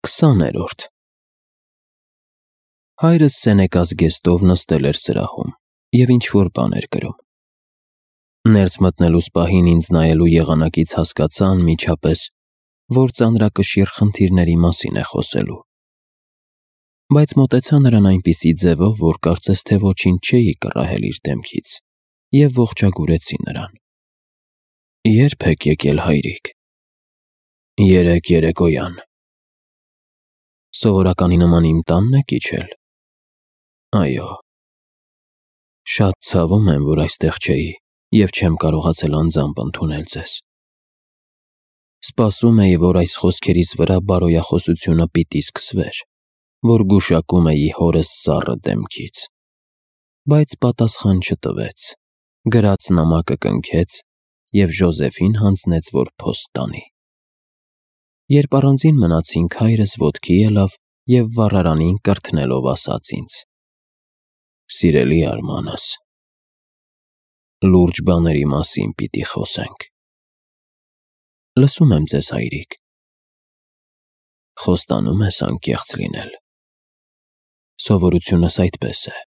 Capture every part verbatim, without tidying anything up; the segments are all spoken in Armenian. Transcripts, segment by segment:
Քսաներորդ Հայրս Սենեկա զգեստով նստել էր սրահում և ինչ-որ բան էր գրում։ Ներս մտնելուս պահին ինձ նայելու եղանակից հասկացա անմիջապես, որ ծանրակշիռ խնդիրների մասին է խոսելու։ Բայց մոտեցա նրան այնպիսի ձևով, որ կարծես թե ոչինչ չէի կռահել իր դեմքից, և ողջագուրեցի նրան։ Ե՞րբ եք եկել, հայրիկ։ Երեկ երեկոյան։ Սովորականի նման իմ տանն եք իջել։ Այո։ Շատ ցավում եմ, որ այստեղ չէի և չեմ կարողացել անձամբ ընդունել ձեզ։ Սպասում էի, որ այս խոսքերիս վրա բարոյախոսությունը պիտի սկսվեր, որ գուշակում էի հորս սառը դեմքից։ Բայց պատասխան չտվեց, գրած նամակը կնքեց և Ժոզեֆին հանձնեց, որ փոստ տանի։ Երբ առանձին մնացինք, հայրս ոտքի ելավ և վառարանին կրթնելով ասաց ինձ. «Սիրելի Արմանս, լուրջ բաների մասին պիտի խոսենք»։ Լսում եմ ձեզ, հայրիկ։ Խոստանում ես անկեղծ լինել։ Սովորությունս այդպես է։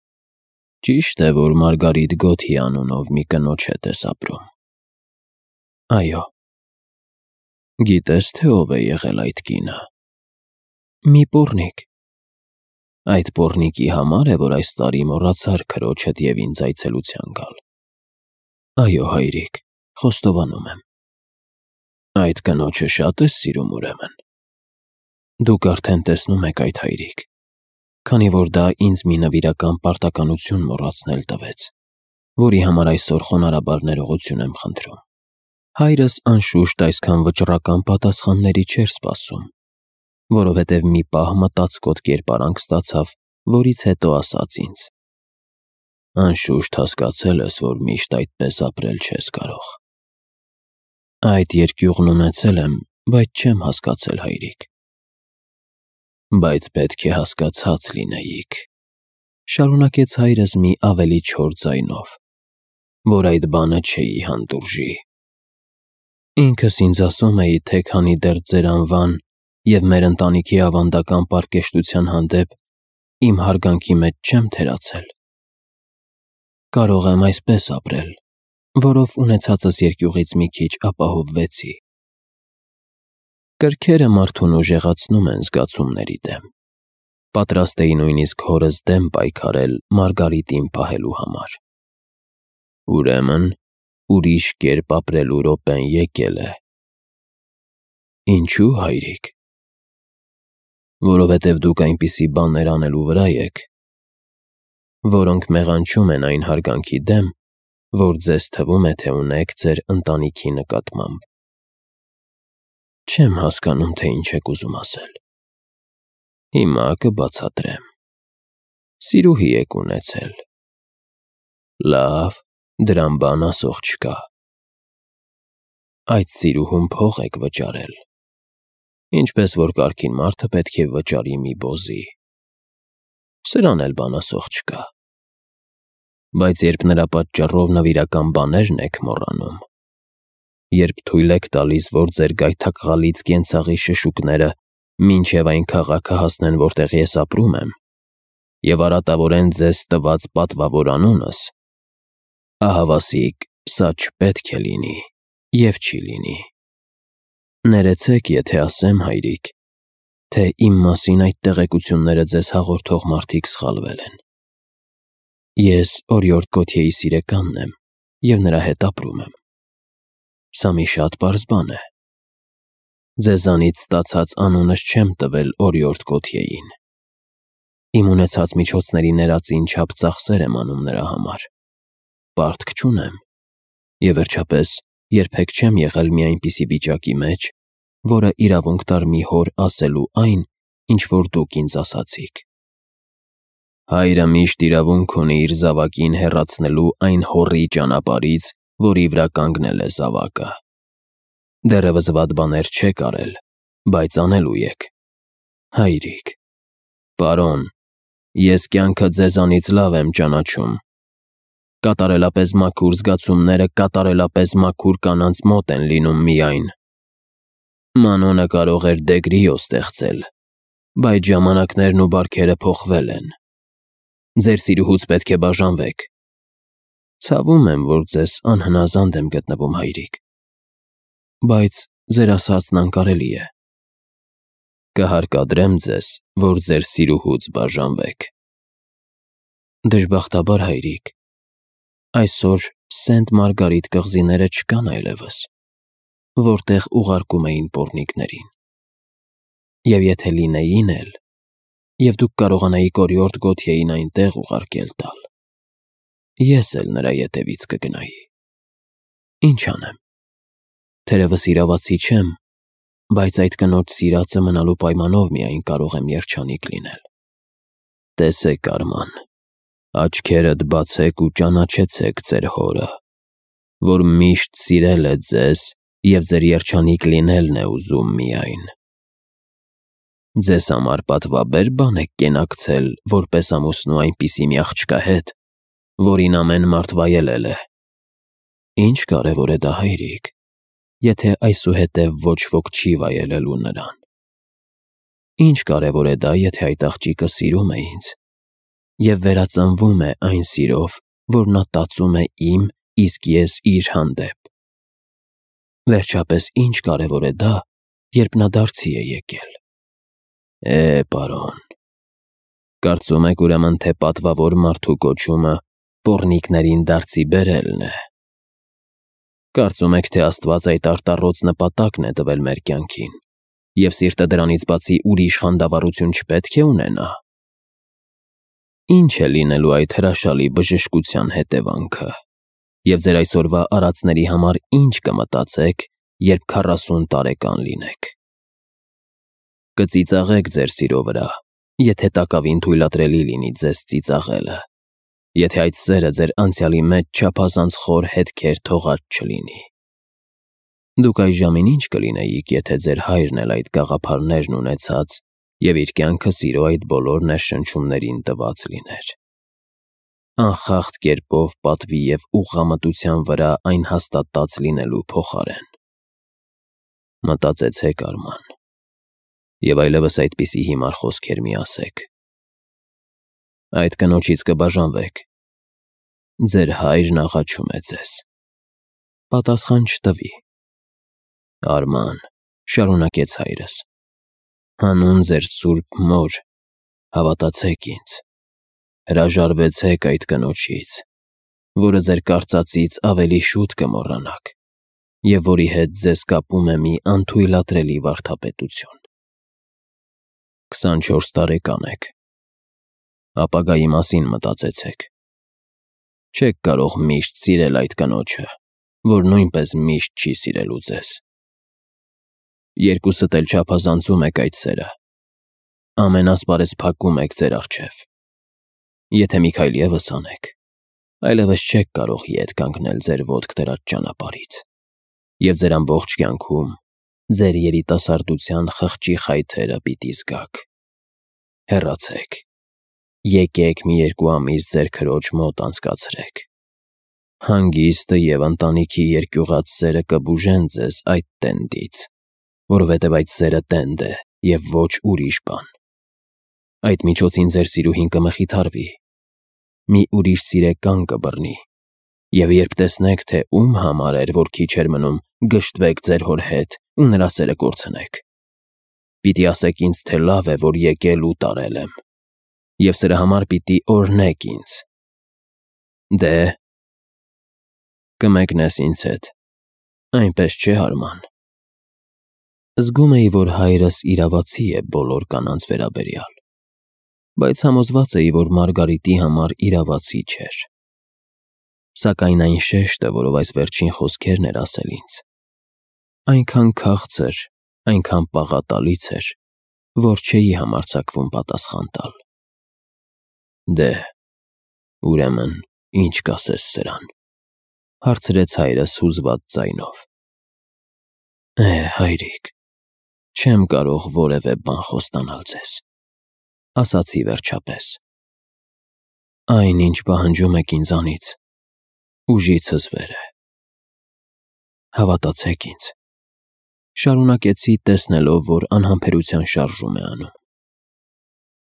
Ճիշտ է, որ Մարգարիտ Գոթի անունով մի կնոջ հետ ես ապրում։ Այո։ Գիտես, թե ով է եղել այդ կինը։ Մի պոռնիկ։ Այդ պոռնիկի համար է, որ այս տարի մոռացար քրոջդ և ինձ այցելության գալ։ Այո, հայրիկ, խոստովանում եմ։ Այդ կնոջը շատ ես սիրում, ուրեմն։ Դուք արդեն տեսնում եք այդ, հայրիկ, քանի որ դա ինձ մի նվիրական պարտականություն մոռացնել տվեց, որի համար այսօր խոնարհաբար ներողություն եմ խնդրում։ Հայրս անշուշտ այսքան վճռական պատասխանների չէր սպասում, որովհետև մի պահ մտածկոտ կերպարանք ստացավ, որից հետո ասաց ինձ. Անշուշտ հասկացել ես, որ միշտ այդպես ապրել չես կարող։ Այդ երկյուղն ունեցել եմ, բայց չեմ հասկացել, հայրիկ։ Բայց պետք է հասկացած լինեիք, շարունակեց հայրս մի ավելի չոր ձայնով, որ այդ բանը չէի հանդուրժի։ Ինքս ինձ ասում էի, թե քանի դեռ ձեր անվան և մեր ընտանիքի ավանդական պարկեշտության հանդեպ իմ հարգանքի մեջ չեմ թերացել։ Կարող եմ այսպես ապրել, որով ունեցածս երկյուղից մի քիչ ապահովվեցի։ Կրքերը մարդուն ուժեղացնում են զգացումների դեմ։ Պատրաստ էի նույնիսկ հորս դեմ պայքարել Մարգարիտին պահելու համար։ Ուրեմն, ուրիշ կերպ ապրելու րոպեն եկել է։ Ինչու՞, հայրիկ։ Որովհետև դուք այնպիսի բաներ անելու վրա եք, որոնք մեղանչում են այն հարգանքի դեմ, որ ձեզ թվում է, թե ունեք ձեր ընտանիքի նկատմամբ։ Չեմ հասկանում, թե ինչ եք ուզում ասել։ Հիմա կբացատրեմ։ Սիրուհի եք ունեցել։ Լավ, դրան բան ասող չկա։ Այդ սիրուհուն փող եք վճարել, ինչպես որ կարգին մարդը պետք է վճարի մի բոզի։ Սրան էլ բան ասող չկա։ Բայց երբ նրա պատճառով նվիրական բաներն եք մոռանում, երբ թույլ եք տալիս, որ ձեր գայթակղալից կենցաղի շշուկները մինչև այն քաղաքը հասնեն, որտեղ ես ապրում եմ, և արատավորեն ձեզ տված պատվավոր անունս, ահավասիկ, սա չպետք է լինի և չի լինի։ Ներեցեք, եթե ասեմ, հայրիկ, թե իմ մասին այդ տեղեկությունները ձեզ հաղորդող մարդիկ սխալվել են։ Ես Օրիորդ Գոթիեի սիրեկանն եմ և նրա հետ ապրում եմ։ Սա մի շատ պարզ բան է։ Ձեզանից ստացած անունս չեմ տվել Օրիորդ Գոթիեին։ Իմ ունեցած միջոցների ներածին չափ ծախսեր եմ անում նրա համար։ Պարտք չունեմ։ Եվ վերջապես, երբեք չեմ եղել մի այնպիսի վիճակի մեջ, որը իրավունք տար մի հոր ասելու այն, ինչ որ դուք ինձ ասացիք։ Հայրը միշտ իրավունք ունի իր զավակին հեռացնելու այն հոռի ճանապարհից, որի վրա կանգնել է զավակը։ Դեռևս վատ բաներ չեք արել, բայց անելու եք։ Հայրիկ, պարոն, ես կյանքը ձեզանից լավ եմ ճանաչում։ Կատարելապես մաքուր զգացումները կատարելապես մաքուր կանանց մոտ են լինում միայն։ Մանոնը կարող էր Դեգրիո ստեղծել, Բայց ժամանակներն ու բարքերը փոխվել են։ Ձեր սիրուհուց պետք է բաժանվեք։ Ցավում եմ, որ ձեզ անհնազանդ եմ գտնվում, հայրիկ, բայց ձեր ասածն անկարելի է։ Կհարկադրեմ ձեզ, որ ձեր սիրուհուց բաժանվեք։ Դժբախտաբար, հայրիկ, այսօր Սենտ Մարգարիտ կղզիները չկան այլևս, որտեղ ուղարկում էին պոռնիկներին։ Եվ եթե լինեին էլ, և դուք կարողանայիք օրիորդ Գոթյեին այնտեղ ուղարկել տալ, ես էլ նրա ետևից կգնայի։ Ինչ անեմ, թերևս իրավացի չեմ, բայց այդ կնոջ սիրածը մնալու պայմանով միայն կարող եմ երջանիկ լինել։ Տեսեք, Արման, աչքերդ բացեք ու ճանաչեցեք ձեր հորը, որ միշտ սիրել է ձեզ և ձեր երջանիկ լինելն է ուզում միայն։ Ձեզ համար պատվաբեր բան եք կենակցել որպես ամուսնու այնպիսի մի աղջկա հետ, որին ամեն մարդ վայելել է։ Ինչ կարևոր է դա, հայրիկ, եթե այսուհետև ոչ ոք չի վայելելու նրան։ Ինչ կարևոր է դա, եթե այդ աղջիկը սիրում է ինձ և վերածնվում է այն սիրով, որ նա տածում է իմ, իսկ ես իր հանդեպ։ Վերջապես, ինչ կարևոր է դա, երբ նա դարձի է եկել։ Է, պարոն, կարծում եք ուրեմն, թե պատվավոր մարդու կոչումը պոռնիկներին դարձի բերելն է։ Կարծում եք, թե Աստված այդ արտառոց նպատակն է տվել մեր կյանքին, և սիրտը դրանից բացի ուրիշ խանդավառություն չպետք է ունենա։ Ինչ է լինելու այդ հրաշալի բժշկության հետևանքը, և ձեր այսօրվա արածների համար ինչ կմտածեք, երբ քառասուն տարեկան լինեք։ Կծիծաղեք ձեր սիրո վրա, եթե տակավին թույլատրելի լինի ձեզ ծիծաղելը, եթե այդ սերը ձեր անցյալի մեջ չափազանց խոր հետքեր թողած չլինի։ Դուք այժմին ինչ կլինեիք, եթե ձեր հայրն էլ այդ գաղափարներն ունեցած և իր կյանքը սիրո այդ բոլոր ներշնչումներին տված լիներ։ Անխախտ կերպով պատվի և ուղղամտության վրա այն հաստատած լինելու փոխարեն։ Մտածեցեք, Արման, և այլևս այդպիսի հիմար խոսքեր մի ասեք։ Այդ կնոջից կբաժանվեք։ Ձեր հայրն աղաչում է ձեզ։ Պատասխան չտվի։ Արման, շարունակեց հայրս, հանուն ձեր սուրբ մոր, հավատացեք ինձ, հրաժարվեցեք այդ կնոջից, որը ձեր կարծածից ավելի շուտ կմոռանաք և որի հետ ձեզ կապում է մի անթույլատրելի վարդապետություն։ Քսանչորս տարեկան եք։ Ապագայի մասին մտածեցեք։ Չեք կարող միշտ սիրել այդ կնոջը, որ նույնպես միշտ չի սիրելու ձեզ։ Երկուսդ էլ չափազանցում եք այդ սերը։ Ամենասպարեզ փակում եք ձեր առջև։ Եթե մի քայլ ևս անեք, այլևս չեք կարող ետ կանգնել ձեր ոտք դրած ճանապարհից, և ձեր ամբողջ կյանքում ձեր երիտասարդության խղճի խայթերը պիտի զգաք։ Հեռացեք։ Եկեք մի երկու ամիս ձեր քրոջ մոտ անցկացրեք։ Հանգիստը և ընտանիքի երկյուղած սերը կբուժեն ձեզ այդ տենդից, որովհետև այդ սերը տենդ է և ոչ ուրիշ բան։ Այդ միջոցին ձեր սիրուհին կմխիթարվի, մի ուրիշ սիրեկան կբռնի, և երբ տեսնեք, թե ում համար էր, որ քիչ էր մնում, գժտվեք ձեր հոր հետ ու նրա սերը կորցնեք։ Պիտի ասեք ինձ, թե լավ է, որ եկել ու տարել եմ, և սրա համար պիտի օրհնեք ինձ։ Դե, կմեկնես ինձ հետ, այնպես չէ՞, Արման։ Զգում էի, որ հայրս իրավացի է բոլոր կանանց վերաբերյալ, բայց համոզված էի, որ Մարգարիտի համար իրավացի չէր։ Սակայն այն շեշտը, որով այս վերջին խոսքերն էր ասել ինձ, այնքան քաղցր, այնքան պաղատալից էր, որ չէի համարձակվում պատասխան տալ։ Դե, ուրեմն, ինչ կասես սրան, հարցրեց հայրս հուզված ձայնով։ Է, հայրիկ, չեմ կարող որևէ բան խոստանալ ձեզ, ասացի վերջապես։ Այն, ինչ պահանջում եք ինձանից, ուժիցս վեր է։ Հավատացեք ինձ, շարունակեցի, տեսնելով, որ անհամբերության շարժում է անում։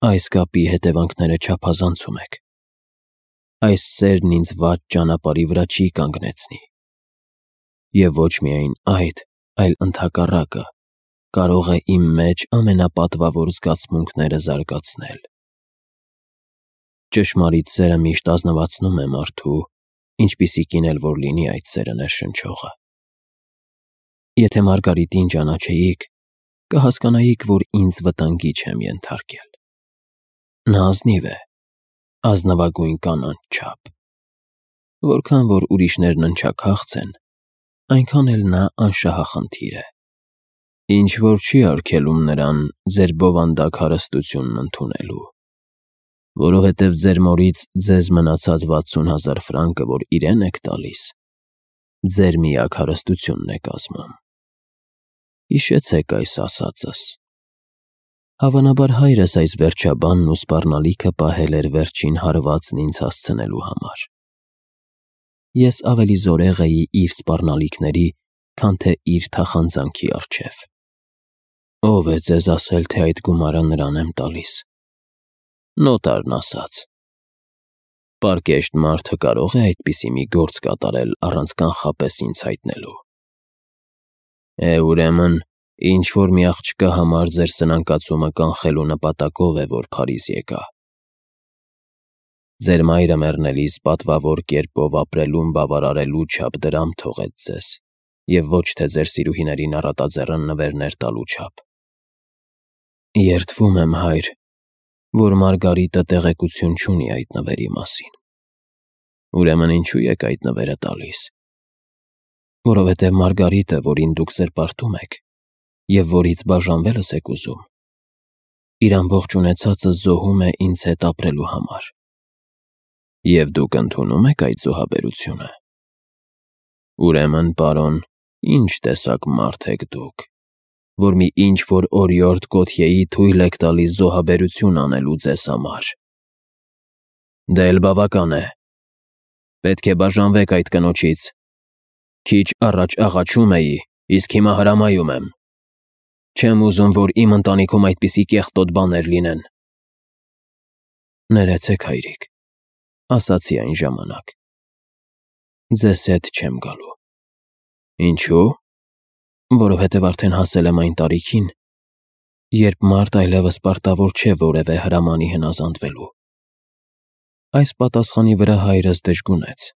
Այս կապի հետևանքները չափազանցում եք։ Այս սերն ինձ վատ ճանապարհի վրա չի կանգնեցնի։ Եվ ոչ միայն այդ, այլ ընդհակառակը, կարող է իմ մեջ ամենապատվավոր զգացմունքները զարգացնել։ Ճշմարիտ սերը միշտ ազնվացնում է մարդու, ինչպիսիքին էլ որ լինի այդ սերը ներշնչողը։ Եթե Մարգարիտին ճանաչեիք, կհասկանայիք, որ ինձ վտանգի չեմ ենթարկել։ Նա ազնիվ է, ազնվագույն կանանց չափ։ Որքան որ ուրիշներն ընչաքաղց են, այնքան էլ նա անշահախնդիր է, ինչ որ չի արգելում նրան ձեր բովանդակ հարստությունն ընդունելու, որովհետև ձեր մորից ձեզ մնացած վաթսուն հազար ֆրանկը, որ իրեն եք տալիս, ձեր միակ հարստությունն է կազմում։ Հիշեցեք այս ասածս։ Հավանաբար հայրս այս վերջաբանն ու սպառնալիքը պահել էր վերջին հարվածն ինձ հասցնելու համար։ Ես ավելի զորեղ էի իր սպառնալիքների, քան թե իր թախանձանքի առջև։ Ո՞վ է ձեզ ասել, թե այդ գումարը նրան եմ տալիս։ Նոտարն ասաց։ Պարկեշտ մարդը կարող է այդպիսի մի գործ կատարել առանց կանխապես ինձ հայտնելու։ Է, ուրեմն, ինչ-որ մի աղջկա համար ձեր սնանկացումը կանխելու նպատակով է, որ Փարիզ եկա։ Ձեր մայրը մեռնելիս պատվավոր կերպով ապրելուն բավարարելու չափ դրամ թողեց ձեզ, և ոչ թե ձեր սիրուհիներին առատաձեռն նվերներ տալու չափ։ Երդվում եմ, հայր, որ Մարգարիտը տեղեկություն չունի այդ նվերի մասին։ Ուրեմն ինչու եք այդ նվերը տալիս։ Որովհետև Մարգարիտը, որին դուք զրպարտում եք, և որից բաժանվելս եք ուզում, իր ամբողջ ունեցածը զոհում է ինձ հետ ապրելու համար։ Եվ դուք ընդունո՞ւմ եք այդ զոհաբերությունը։ Ուրեմն, պարոն, ի՞նչ տեսակ մարդ եք դուք, որ մի ինչ-որ օրիորդ Գոթյեի թույլ եք տալիս զոհաբերություն անելու ձեզ համար։ Դե էլ բավական է։ Պետք է բաժանվեք այդ կնոջից։ Քիչ առաջ աղաչում էի, իսկ հիմա հրամայում եմ։ Չեմ ուզում, որ իմ ընտանիքում այդպիսի կեղտոտ բաներ լինեն։ Ներեցեք, հայրիկ, ասացի այն ժամանակ։ Ձեզ հետ չեմ գալու։ Ինչու՞։ Որովհետև արդեն հասել եմ այն տարիքին, երբ մարդ այլևս պարտավոր չէ որևէ հրամանի հնազանդվելու։ Այս պատասխանի վրա հայրս դժգունեց։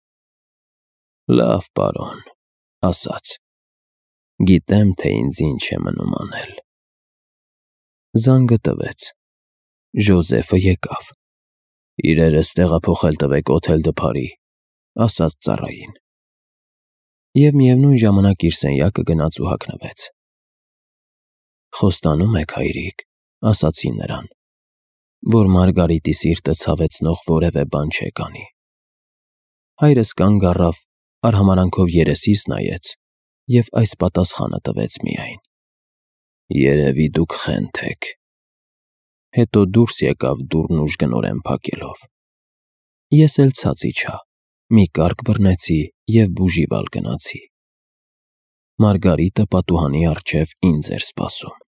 Լավ, պարոն, ասաց։ Գիտեմ, թե ինձ ինչ է մնում անել։ Զանգը տվեց։ Ժոզեֆը եկավ։ Իրերս տեղափոխել տվեք Օթել դը Փարի, ասաց ծառային։ Եվ միևնույն ժամանակ իր սենյակը գնաց ու հագնվեց։ Խոստանում եք, հայրիկ, ասացի նրան, որ Մարգարիտի սիրտը ցավեցնող որևէ բան չեք անի։ Հայրս կանգ առավ, արհամարհանքով երեսիս նայեց և այս պատասխանը տվեց միայն. Երևի դուք խենթ եք։ Հետո դուրս եկավ դուռն ուժգնորեն փակելով։ Ես էլ ցած իջա, մի կառք բռնեցի և բուժիվալ գնացի։ Մարգարիտը պատուհանի առջև ինձ էր սպասում։